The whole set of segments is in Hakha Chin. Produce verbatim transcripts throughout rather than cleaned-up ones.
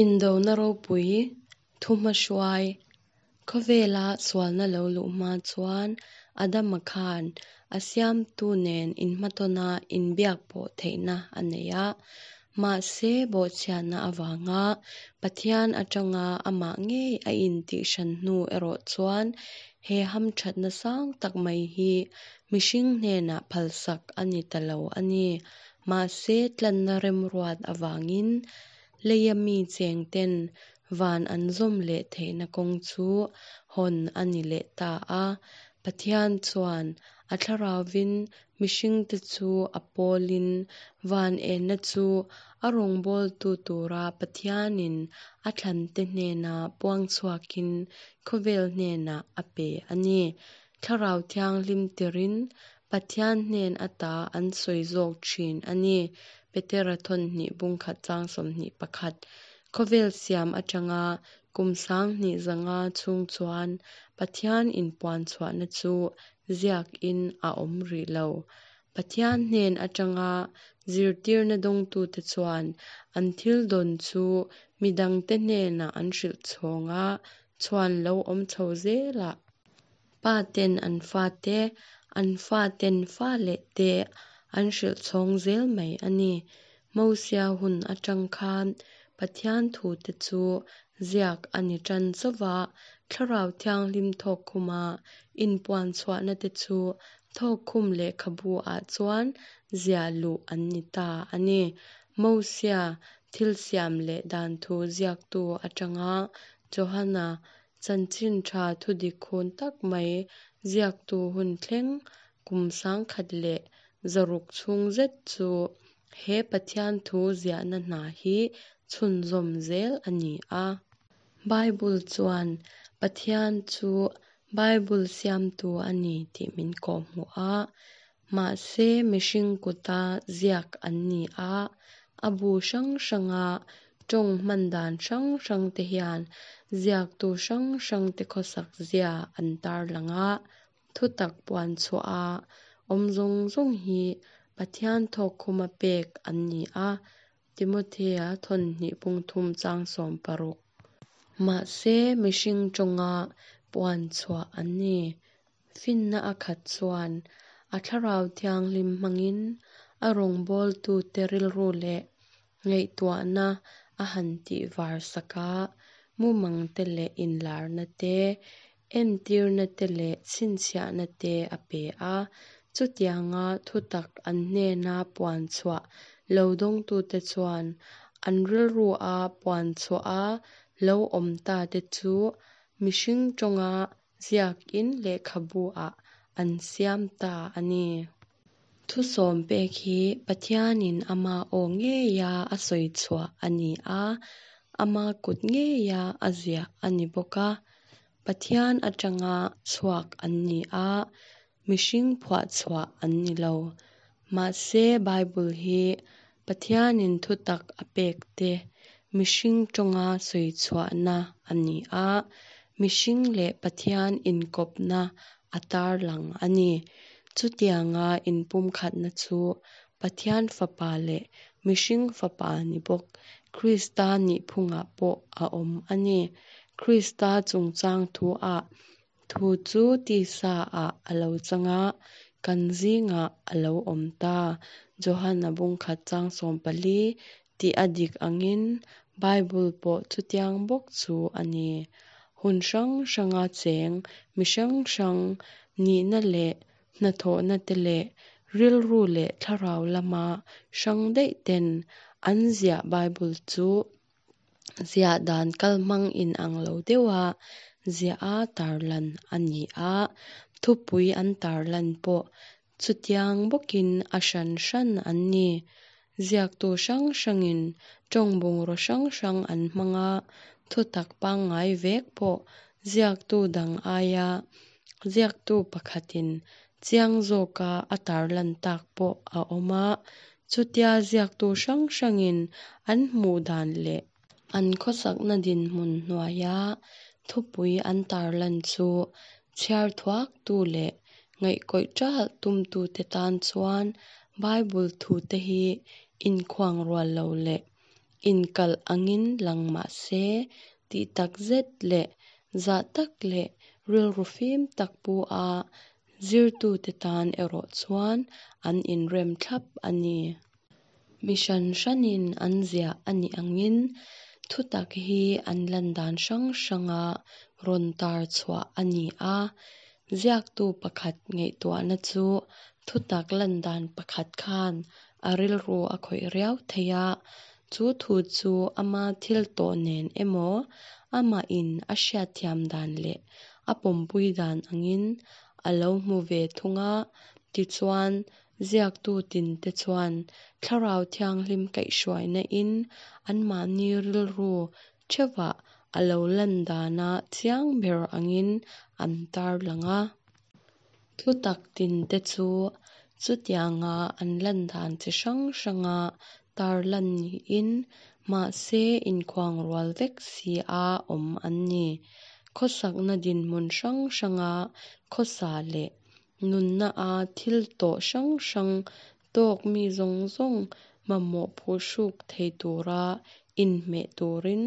Indona ropui thuhmahruai khawvela sualna lo luh hma chuan Adama khan a siamtu nen inhmatawna inbiak pawh theihna a nei a. Mahse bawhchhiatna avanga Pathian atanga amah ngei a intihhran hnu erawh chuan he hamthatna sang tak mai hi mihring hnenah phalsak a ni ta lo a ni. Mahse tlanna remruat avangin leia mi chengten van an zawm leh theihna kawng chu hawn a ni leh ta a. Pathian chuan a thlarauvin mihringte chu a pawlin van enna chu a rawngbawltu tura Pathianin a thlante hnena puang chhuakin khawvel hnenah a pe a ni. Thlarau Thianghlim tirin Pathian hnen ata an sawi zawk thin a ni. Petera thawnhnih bungkhat chang sawmhnih pakhat. Khawvel siam atanga kum sanghnih zanga chhung chuan Pathian inpuan chhuahna chu ziakin a awm rih lo. Pathian hnen atanga zirtirna dawngtute chuan an thil dawn chu midangte hnenah an hrilh chhawng a, chhuan lo awm chho zelah. Pa ten an fate, an faten fa leh te an hrilh chhawng zel mai a ni. Mosia hun atang khan Pathian thute chu ziak a ni tan chauh a, Thlarau Thianghlim thawkkhuma inpuan chhuahna te chu thawkkhum lehkhabu ah chuan ziah luh an ni ta a ni. Mosia thil siam leh dan thu ziaktu atanga Johana chanchin tha thudik hun tak mai ziaktu hun thleng kum sangkhat leh zaruk chhung zet chu he Pathian thu ziahna hna hi chhunzawm zel a ni a. Bible chuan Pathian chu Bible siamtu a ni tih min kawhhmuh a, mahse mihring kuta ziak an ni a, a bu hrang hranga tawng hman dan hrang hrang te hian ziaktu hrang hrang te khawsak zia an tarlang a, thutak puan chhuah a awm zawng zawng hi Pathian thawkkhuma pek an ni a, Timothea thawnhnih bungthum chang sawm paruk. Mahse mihring tawnga puan chhuah an ni. Finna a khat chuan a thlarau thianghlim hmangin a rawngbawltute rilru leh ngaihtuahna a han tih var sak a, mumang te leh inlarna te, entirna te leh chhinchhiahna te a pe a. Chutianga thutak an hnena puan chhuah lo dawngtute chuan an rilru a puan chhuah a lo awm ta te chu mihring tawnga ziakin lehkhabu ah an siam ta a ni. Thusawm pek hi Pathianin ama aw ngeia a sawi chhuah a ni a, ama kut ngeia a ziah a ni bawk a. Pathian atanga chhuak an ni a, mihring phuah chhuah an ni lo. Mahse Bible hi Pathianin thutak a pek te mihring tawnga sawi chhuahna a ni a, mihring leh Pathian inkawpna a tarlang a ni. Chutianga inpumkhatna chu Pathian fapa leh mihring fapa ni bawk Krista nihphungah pawh a awm a ni. Krista chungchang thu ah thu chu tisa ah a lo chang a, kan zingah a lo awm ta. Johana bungkhat chang sawm pali tih a dik angin Bible pawh chutiang bawk chu a ni. Hun hrang hranga cheng mi hrang hrang nihna leh hnathawhna te leh rilru leh thlarau lama hrang daih ten an ziah Bible chu ziah dan kalhmang inang lo deuha ziah a tarlan a ni a, thupui an tarlan pawh chutiang bawkin a hran hran an ni. Ziaktu hrang hrangin tawng bungraw hrang hrang an hmang a, thutak pangngai vek pawh ziaktu dang aia ziaktu pakhatin chiang zawka a tarlan tak pawh a awm a. Chutia ziaktu hrang hrangin an hmuh dan leh an khawsakna dinhmun hnuaia thupui an tarlan chu chhiar thuaktu leh ngaihkawih ṭalh tumtute tan chuan Bible thute hi inkhuang rual lo leh Inkalh angin lang mah se, tih tak zet leh zah tak leh rilru fim tak pu a zirtute tan erawh chuan an inrem thlap a ni. Mi hran hranin an ziah a nih angin thutak hi an lan dan hrang hranga rawn tar chhuah a ni a. Ziaktu pakhat ngaihtuahna chu thutak lan dan pakhat khan a rilru a khawih riau thei a, chu thu chu ama thil tawh nen emaw, amahin a hriatthiam dan leh a pawmpui dan angin a lo hmu ve thung a. Tichuan, ziaktu tinte chuan Thlarau Thianghlim kaihhruainain anmahni rilru theuhvah a lo lan dana chiang ber angin an tarlang a. Thutak tinte chu chutianga an lan dan chi hrang hranga tarlan niin, mahse inkhuangrual vek si a awm an ni. Khawsakna dinhmun hrang hranga khawsa leh nunna-a thil tawh hrang hrang tawk mi zawng zawng mamawh phuhruk thei tura inhmeh turin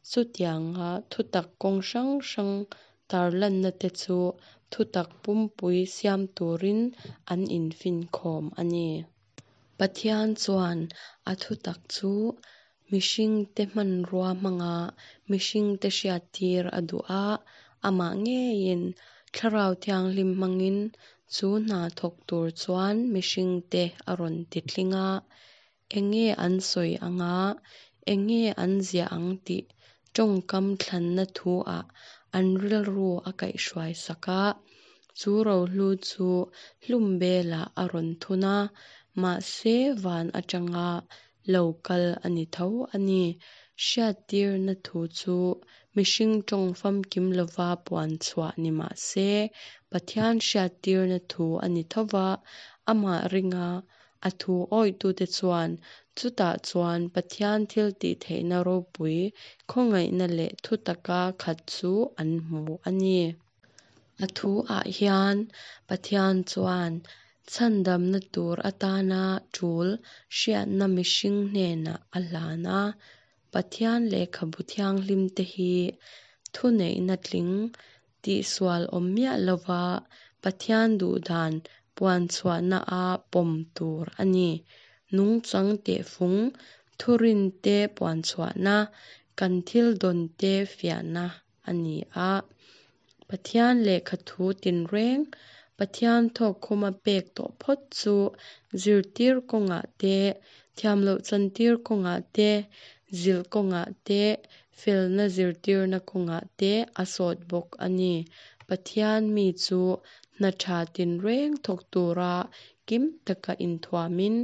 chutianga thutak kawng hrang hrang tarlanna te chu thutak pumpui siam turin an infinkhawm a ni. Pathian chuan a thutak chu mihringte hmanrua hmanga mihringte hriattir a duh a, amah ngeiin Thlarau Thianghlim hmangin chu hna thawk tur chuan mihringte a rawn titling a. Enge an sawi ang a, enge an ziah ang tih tawngkam thlanna thu-ah an rilru a kaihhruai sak a. Chu rohlu chu hlumbelah a rawn thun a, mahse van atanga lo kal a ni tho a ni. Hriattirna thu chu mihring tawng famkim lova puan chhuah ni mah se, Pathian hriattirna thu a ni tho va, amah ringa a thu awihtute chuan chutah chuan Pathian thiltihtheihna ropui, khawngaihna leh thutaka khat chu an hmu a ni. A thu-ah hian Pathian chuan chhandamna tur atana tul hriatna mihring hnenah a hlan a. Pathian Lehkhabu Thianghlimte hi thuneihna tling, tihsual awm miah lova Pathian duhdan puanchhuahna-a pawm tur a ni. Nungchang tehfung, thurinte puanchhuahna, kan thil dawnte fiahna a ni a. Pathian lehkhathu tinreng, Pathian thawkkhuma pek tawh phawt chu zirtir kawngah te, thiamloh chantir kawngah te, zilh kawngah te, felna zirtirna kawngah te a sawt bawk a ni. Pathian mi chu hna tha tinreng thawk tura kim taka inthuamin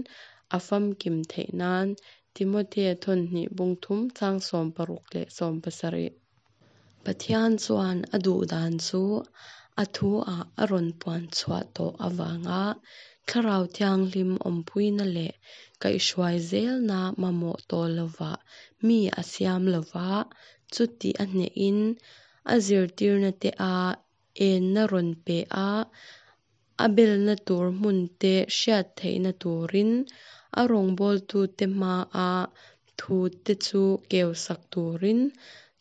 a famkim theih nan Timothea thawnhnih bung thum chang sawm paruk leh sawm pasarih. Pathian chuan a duhdan chu a thu-ah a rawn puan chhuah tawh avanga Thlarau Thianghlim awmpuina leh kaihhruai zelna mamawh tawh lovah mi a siam lova, chuti a hnehin a zirtirna te a enna rawn pe a, a belna tur hmun te hriat theihna turin a rawngbawltute hmaa thute chu keu sak turin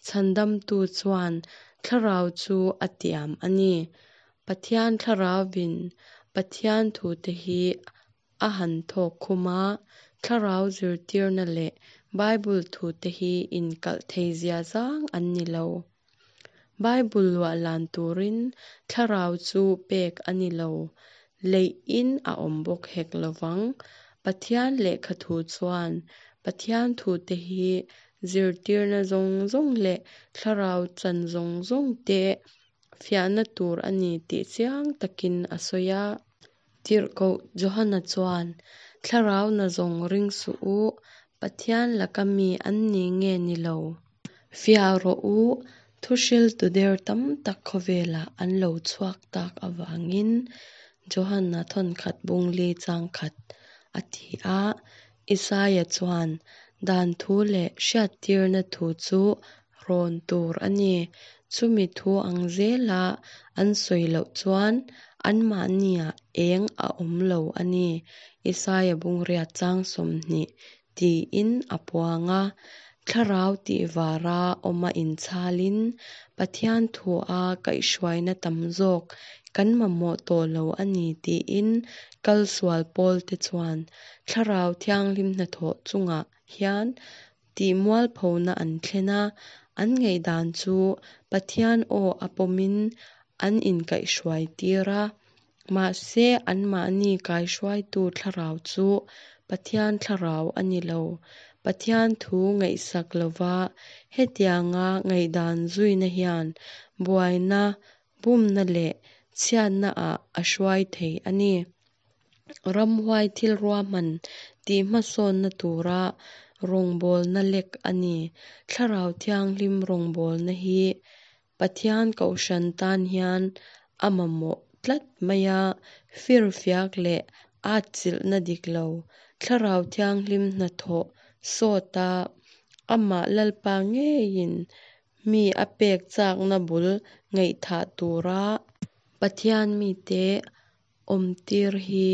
Chhandamtu chuan Thlarau chu a tiam a ni. Pathian Thlarauvin Pathian thute hi a han thawk khum a, Thlarau zirtirna leh Bible thute hi inkalh thei ziazang an ni lo. Bible luahlan turin Thlarau chu pek a ni lo, leihin a awm bawk hek lovang. Pathian lehkhathu chuan Pathian thute hi zirtirna zawng zawng leh Thlarau chan zawng zawng te fiahna tur a ni tih chiang takin a sawi a. Tirhkoh Johana chuan, Thlarau nazawng ring suh u, Pathian laka mi an ni nge ni lo? Fiah rawh u, thuhriltu der tam tak khawvelah an lo chhuak tak avangin Johana thawnkhat bungli chang khat a ti a. Isaia chuan, Dan thu leh hriattirna thu chu rawn tur a ni. Chumi thu ang zela an sawi loh chuan anmahniah eng a awm lo a ni. Isaia bungriat chang sawmhnih tiin a puang a. Thlarau tihvara awma inchhalin Pathian thua kaihhruaina tam zawk kan mamawh tawh lo a ni tiin kalsual pawlte chuan Thlarau Thianghlim hnathawh chungah hian tihmualphona an thlen a, an ngaihdan chu Pathian aw a pawmin an inkaihhruai tir a. Mahse anmahni kaihruaitu thlarau chu Pathian thlarau a ni lo. Pathian thu ngaihsak lova hetianga ngaihdan zuina hian buaina, bumna leh chhiatnaah a hruai thei a ni. Ramhuai thil ruahman tihhmasawnna tura rawngbawlna lek a ni. Thlarau Thianghlim rawngbawlna hi Pathian kohhran tan hian a mamawh tlat mai a, firfiak leh atchilhna dik lo, Thlarau Thianghlim hnathawh sawta amah Lalpa ngeiin mi a pek chakna bul ngaihthah tura Pathian mite awmtir hi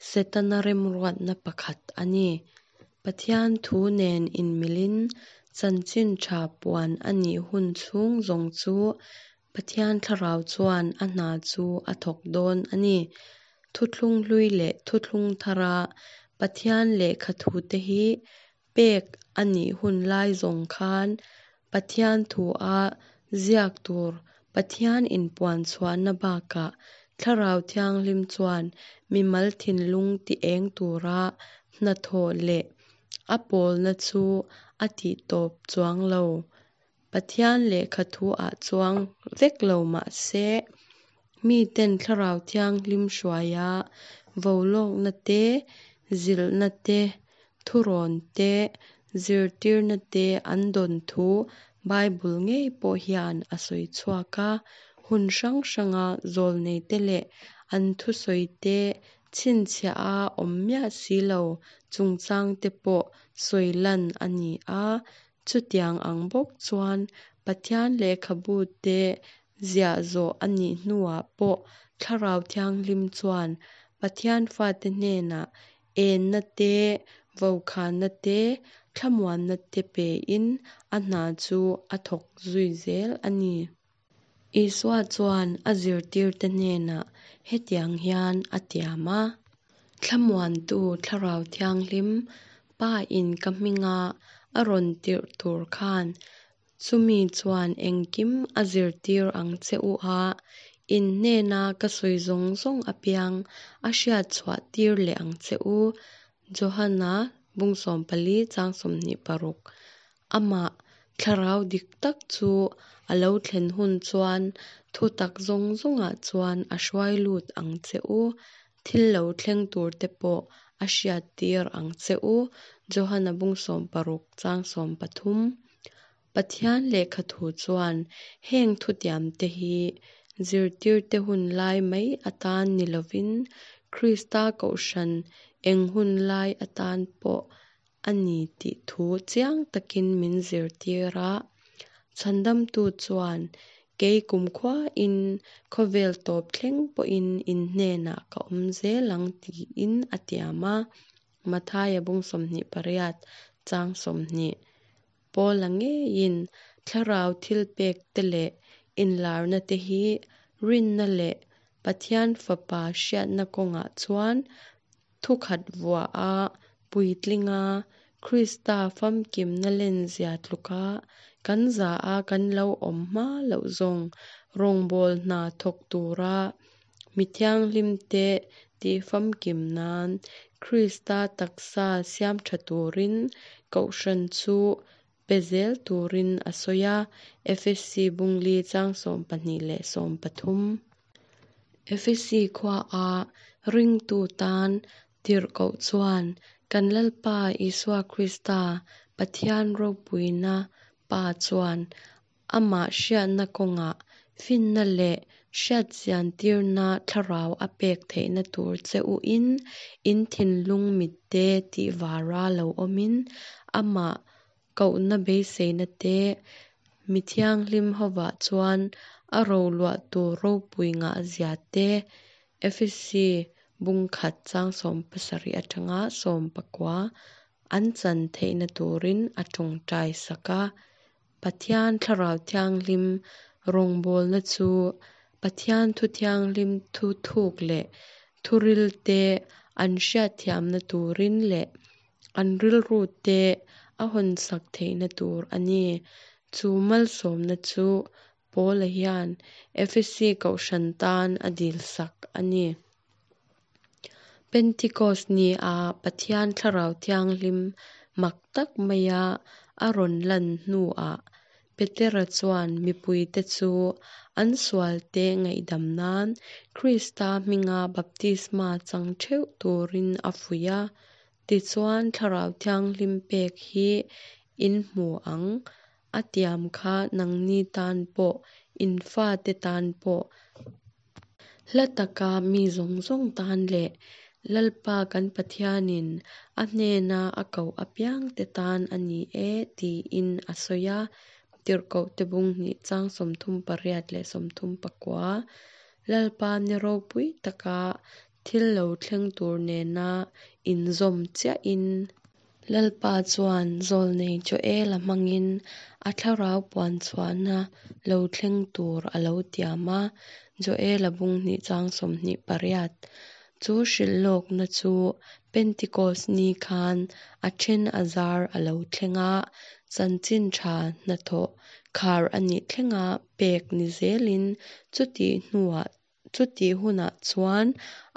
Setana remruatna pakhat a ni. Pathian thu nen inmilin chanchin tha puan a nih hun chhung zawng chu Pathian thlarau chuan a hna chu a thawk dawn a ni. Thuthlung hlui leh thuthlung thara Pathian lehkha thute hi pek a nih hun lai zawng khan Pathian thua ziak tur Pathian inpuan chhuahna bakah Thlarau Thianghlim chuan mimal thinlung ti eng tura hnathawh leh a pawlna chu a tihtawp chuang lo. Pathian lehkha thu-ah chuang vek lo mah se, miten Thlarau Thianghlim hruaia vaulawkna te, zilhna te, thurawn te, zirtirna te an dawn thu Bible ngei pawh hian a sawi chhuak a. Hun hrang hranga zawlneite leh an thusawite chhinchhiah a awm miah si lo chungchangte pawh sawi lan a ni a. Chutiang ang bawk chuan Pathian lehkhabute ziah zawh a nih hnuah pawh Thlarau Thianghlim chuan Pathian fate hnenah enna te, vaukhana te, thlamuanna te pein a hna chu a thawk zui zel a ni. Isua chuan a zirtirte hnenah hetiang hian a tiam a, Thlamuantu Thlarau Thianghlim Pa in ka hminga a rawn tirh tur khan chumi chuan engkim a zirtir ang che u a, in hnena ka sawi zawng zawng apiang a hriat chhuah tir leh ang che u. Johana bung sawm pali chang sawmhnih paruk. Amah thlarau dik tak chu a lo thlen hun chuan thutak zawng zawngah chuan a hruai lut ang che u. Thil lo thleng turte pawh a hriat tir ang che u. Johana bung sawm paruk chang sawm pathum. Pathian lehkha thu chuan heng thutiamte hi zirtirte hun lai mai atan ni lovin Krista kohhran eng hun lai atan pawh a ni tih thu chiang takin min zirtir a. Chhandamtu chuan kei kumkhuain khawvel tawp thleng pawhin in hnenah ka awm zel ang tiin a tiam a. Mathaia bung sawmhnih pariat chang sawmhnih. Paula ngeiin thlarau thil pek te leh inlarna te hi rinna leh Pathian fapa hriatna kawngah chuan thukhat vua a puitlinga Krista famkimna lenzia tluka kan za a kan lo awm hma loh zawng rawngbâwl hna thawk tura mi thianghlim te tihfamkim nan Krista taksa siam tha turin kohhran chu pe zel turin a sawi a. Efesi bungli chang sawm pahnih leh sawm pathum. Efesi khua a ringtu tan tirhkoh chuan kan Lalpa Isua Krista Pathian ropuina pa chuan amah hriatna kawngah finna leh hriatchian tirna thlarau a pek theihna tur che u in in thinlung mitte tihvara lo awmin amah kohna beiseina te mi thianghlim hovah chuan a roluah tur ropui ngah zia te Efesi bung khat chang sawm pasarih atanga sawm pakua an chan theihna turin a tawngtai sak a. Pathian Thlarau Thianghlim rawngbawlna chu Pathian Thu Thianghlim thu thuk leh thuril te an hriatthiamna turin leh an rilru te a hawnsak theihna tur a ni. Chu malsawmna chu Paula hian Efesi kohhran tan a dilsak a ni. Pentikos ni-a Pathian Thlarau Thianghlim mak tak maia a rawn lan hnuah Petera chuan mipuite chu an sualte ngaihdam nan Krista hminga baptisma chang theuh turin a fuih a. Tichuan Thlarau Thianghlim pek hi in hmu ang, a tiam kha nangni tan pawh, in fate tan pawh, hla taka mi zawng zawng tan leh Lalpa kan Pathianin a hnena a koh apiangte tan a ni e, tiin a sawi a. Tirhkohte bung hnih chang sawmthum pariat leh sawmthum pakua. Lalpa ni ropui taka thil lo thleng tur nena inzawm chiahin Lalpa chuan zawlnei Joela hmangin a thlarau puanchhuahna lo thleng tur a lo tiam a, Joela bung hnih chang sawmhnih pariat. Chu hrilhlawkna chu Pentikos ni khan a then a zar a lo thleng a, chanchin tha hnathawh khar a nih thlenga pek ni zelin chutih hnuah chutih hunah chuan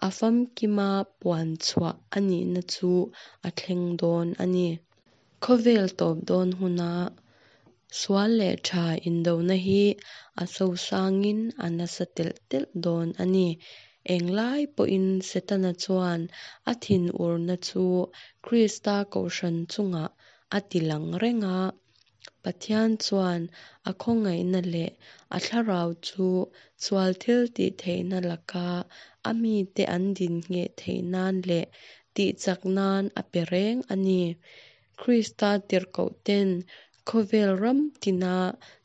a famkima puan chhuah a nihna chu a thleng dawn a ni. Khawvel tawp dawn huna sual leh tha indona hi a sosangin a nasa telh telh dawn a ni. Englai pawhin Setana chuan a thinurna chu Krista kohhran chungah a tilang reng a. Pathian chuan a khawngaihna leh a thlarau chu sual thil tih theihna laka a mite an din ngheh theih nan leh tihchak nan a pe reng a ni. Krista tirhkohten khawvel ram tina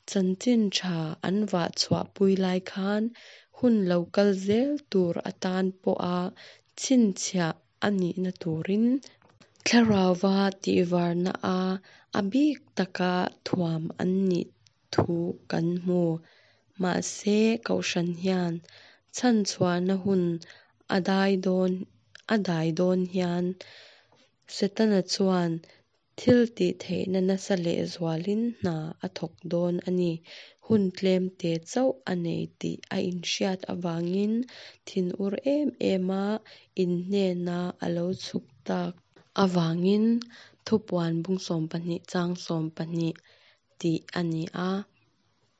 chanchin tha an vah chhuahpui lai khan hun lo kal zel tur atan pawha chhinchhiah a nihna turin thlarauva tihvarna a a bik taka thuam an nih thu kan hmu. Mahse kohhran hian chhanchhuahna hun a dai dawn a dai dawn hian Setana chuan thil tih theihna nasa lehzualin hna a thawk dawn a ni. Hun tlem te chauh a nei tih a inhriat avangin thinur em em a in hnena a lo chhuk tak avangin Thupuan bung sawm pahnih chang sawm pahnih tih a ni a.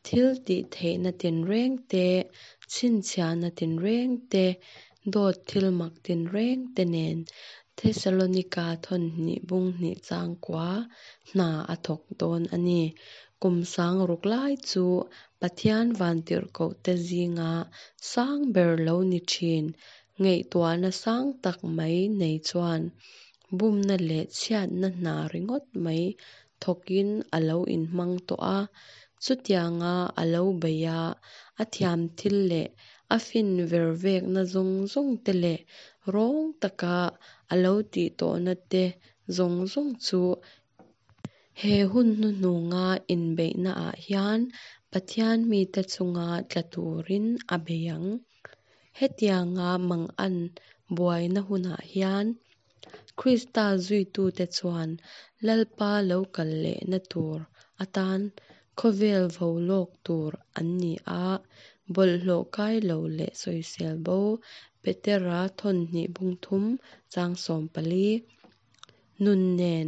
Thil tih theihna tinreng te, chhinchhiahna tinreng te, dawt thil mak tinreng te nen Thesalonika thawn hnih bung hnih chang kua hna a thawk dawn a ni. Kum sang ruk lai chu Pathian vantirhkohte zinga sang ber lo ni thin, ngaihtuahna sang tak mai nei chuan bumna leh chhiatna hna ringawt mai thawkin a lo inhmang tawh a. Chutianga a lo beih a, a thiam thil leh a fin vervekna zawng zawng te leh rawng taka a lo tih tawhna te zawng zawng chu he hun hnuhnunga inbeihnaah hian Pathian mite chunga tla turin a bei ang. Hetianga mangan buaina hunah hian Krista zuitute chuan Lalpa lo kal lehna tur atan khawvel vo lawk tur an ni a, bawlhhlawh kai lo leh sawisel bo Petera thawn hnih bung thum chang sawm pali. Nun nen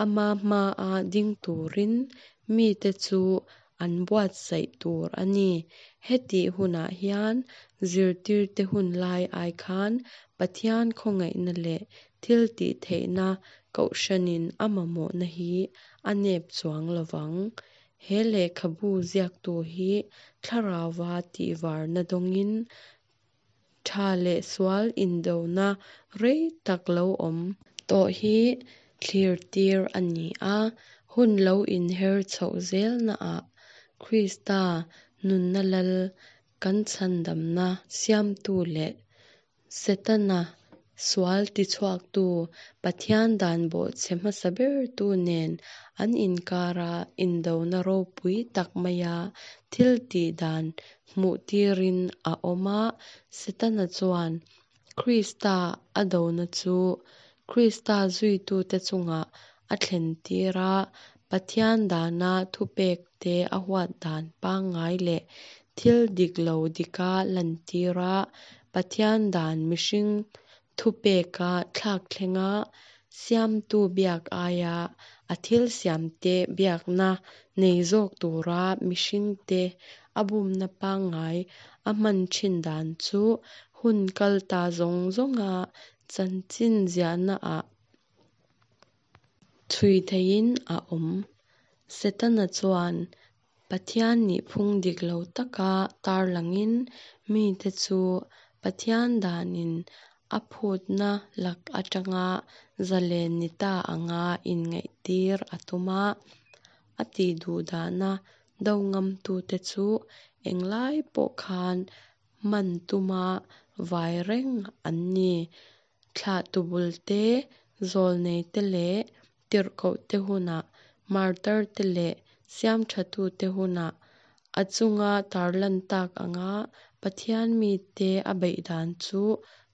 ama hmaa ding turin mite chu an buatsaih tur a ni. Hetih hunah hian zirtirte hun lai ai khan Pathian khawngaihna leh thil tih theihna kohhranin a mamawhna hi a nep chuang lovang. He lehkhabu ziaktu hi thlarauva tihvarna dawngin tha leh sual indona rei tak lo awm tawh hi thlir tir a ni a. Hun lo inher chhoh zelnaah Krista nunna lal kan chhandamna siamtu leh Setana Sual tichhuaktu, Pathian dan bawhchhe hmasa bertu nen an inkara indona ropui tak maia thiltih dan hmuhtirin a awm a. Setana chuan Krista a dona chu Krista zuitute chungah a thlentir a, Pathian dana thupekte a huat dan pangngai leh thil dik lo dika lantir a, Pathian dan mihring thupeka thlakthleng a, Siamtu biak aia a thil siamte biakna nei zawk tura mihringte a bumna pangngai a hman thin dan chu hun kal ta zawng zawnga chanchin ziahnaah chhui theihin a awm. Setana chuan Pathian nihphung dik lo taka tarlangin mite chu Pathian danin a phutna lak atanga zalen ni ta anga inngaihtir a tum a. A tihduhdahna do ngamtute chu englai pawh khan man tuma vai reng an ni. Thlahtu bulte, zawlneite leh tirhkohte hunah, martarte leh siamthatute hunah, a chunga tarlan tak anga Pathian mite a beih dan chu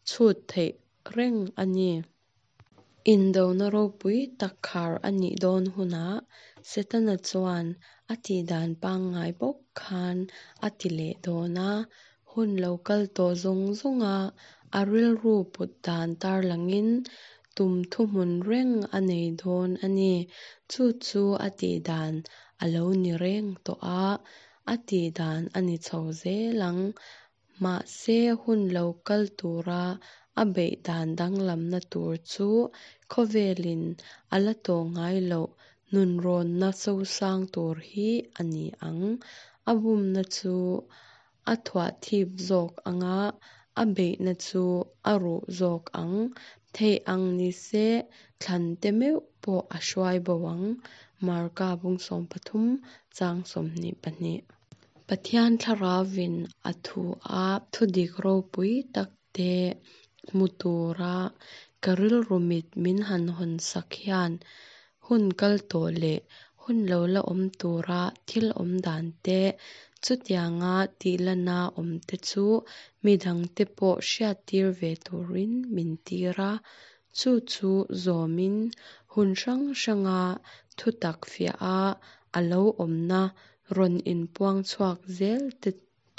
chhut theih reng a ni. Indona ropui tak khar a nih dawn hunah Setana chuan a tihdan pangngai bawk khan a ti leh dawn a. Hun lo kal tawh zawng zawnga a rilru put dan tarlangin tum thuhmun reng a nei dawn a ni. Chu chu a tihdan a lo ni reng tawh a, a tihdan a ni chho zel ang. Mahse hun lo kal tura a beih dan danglamna tur chu khawvelin a la tawh ngai loh nunrawnna sosang tur hi a ni ang. A bumna chu a thuahthip zawk ang a, a beihna chu a ruh zawk ang. Theih ang nise thlante meuh pawh a hruai bo ang. Marka bung sawm pathum chang sawmhnih pahnih. Pathian Thlarauvin a thu a thudik ropui takte hmu tura ka rilru mit min han hawnsak hian hun kal tawh leh hun lo la awm tura thil awm dan te, chutianga tihlana awmte chu midangte pawh hriattir ve turin min tir a. Chu chu zawmin hun hrang hranga thutak fiah a, a lo awmna rawn inpuang chhuak zel te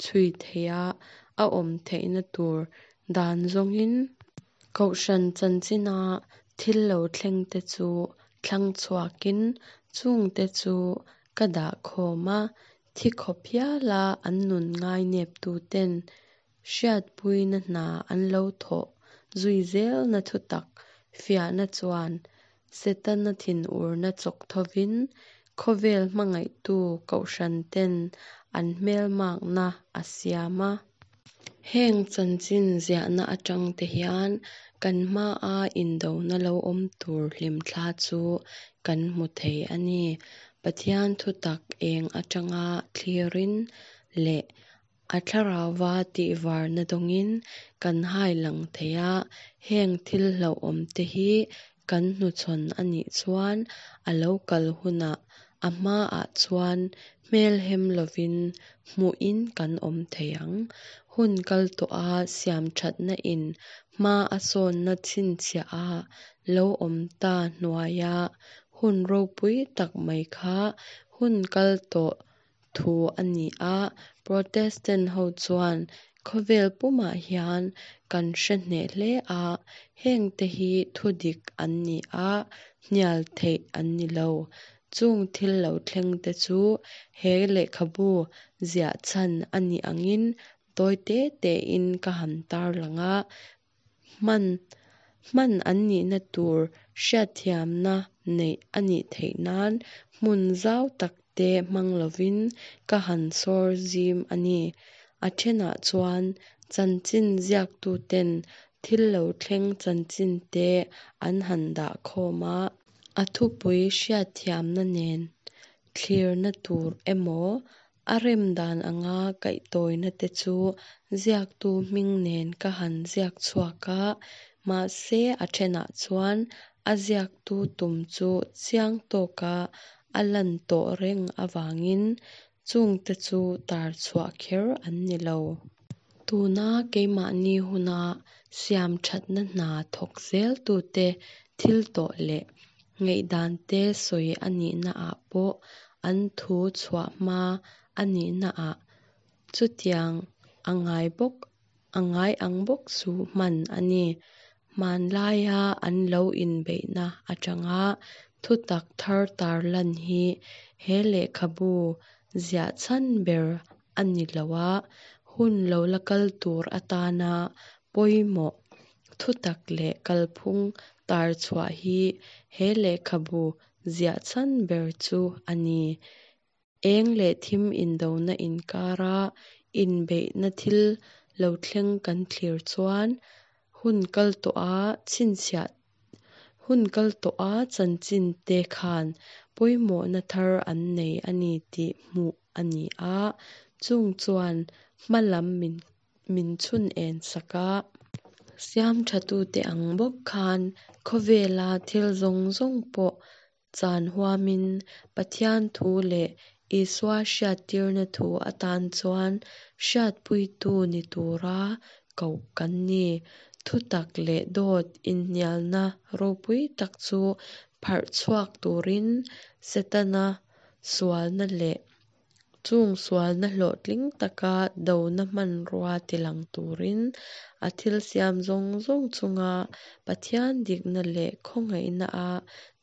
chhui theiha a awm theihna tur dan zawngin Kohhran chanchina thil lo thlengte chu thlang chhuakin chungte chu ka dah khawm a, thi khawp hiala an nun ngaineptuten hriatpuina hna an lo thawh zui zelna thutak fiahna chuan Setana thinurna chawk thovin khawvel hmangaihtu kohhranten an hmelmakna a siam a. Heng chanchin ziahna atangte hian kan hmaa indona lo awm tur hlimthla chu kan hmu thei a ni. Pathian thutak eng atanga thlirin leh a thlarauva tihvarna dawngin kan hai lang thei a. Heng thil hlauhawmte hi kan hnuchhawn a nih chuan a lo kal hunah a hmaah chuan hmelhem lovin hmuhin kan awm thei ang. Hun kal tawha siamthatna in hma a sawnna chhinchhiah a lo awm ta hnuaia hun ropui tak mai kha hun kal tawh thu a ni a. Protestant ho chuan khawvel pumah hian kan hre hneh hle a, hengte hi thudik an ni a, hnial theih an ni lo. Chung thil lo thlengte chu he lehkhabu ziah chhan a nih angin tawi te tein ka han tarlang a, hman hman an nihna tur hriatthiamna neih a nih theih nan hmun zau takte hmang lovin ka han sawr zim a ni. A thenah chuan chanchin ziaktuten thil lo thleng chanchinte an han dah khawm a. A thupui hriatthiamna nen thlirna tur emaw, a rem dan anga kaihtawina te chu ziaktu hming nen ka han ziak chhuak a, Mahse a thenah chuan a ziaktu tum chu chiang tawka a lan tawh reng avangin chungte chu tar chhuah kher an ni lo. Tuna keimahni huna siam thatna hna thawk zeltute thil tawh leh ngaihdante sawi a nihnaah pawh an thu chhuah hma a nihnaah chutiang a ngai ang bawk chu hman a ni. Hmanlaia an lo inbeihna atanga thutak thar tarlan hi he lehkhabu ziah chhan ber a ni lo a, hun lo la kal tur atana pawimawh thutak leh kalphung tar chhuah hi he lehkhabu ziah chhan ber chu a ni. Eng leh thim indona inkara inbeihna thil lo thleng kan thlir chuan hun kal tawha chhinchhiah hun kal tawha chanchinte khan pawimawhna thar an nei a ni tih hmuh a ni a, chung chuan hma lam min min chhun en sak a. Siam thatute ang bawk khan khawvela thil zawng zawng pawh chan huamin Pathian thu leh Isua hriattirna thu atan chuan hriatpuitu ni tura koh kan ni. Thutak leh dawt inhnialna ropui tak chu pharh chhuak turin Setana sualna leh chung sualna hlawhtling taka dona hmanrua tilang turin a thil siam zawng zawng chunga Pathian dikna leh khawngaihna a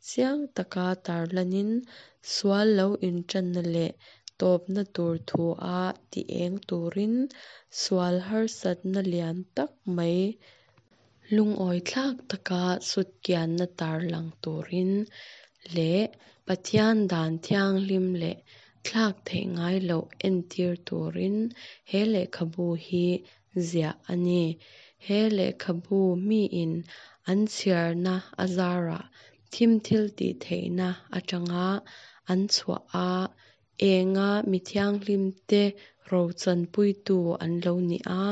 chiang taka tarlanin sual lo intanna leh tawpna tur thu a ti eng turin sual harsatna lian tak mai lungawithlak taka sutkianna tarlang turin leh Pathian dan thianghlim leh thlak theih ngai loh entir turin he lehkhabu hi ziah a ni. He lehkhabu miin an chhiarna azarah thim thil tih theihna atanga an chhuah a, enga mi thianghlimte rochanpuitu an lo ni a,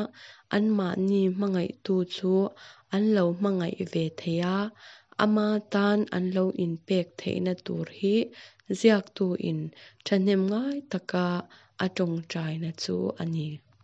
anmahni hmangaihtu chu an lo hmangaih ve thei a, ama tan an lo inpek theihna tur hi ziaktu in thahnemngai taka a tawngtaina chu a ni.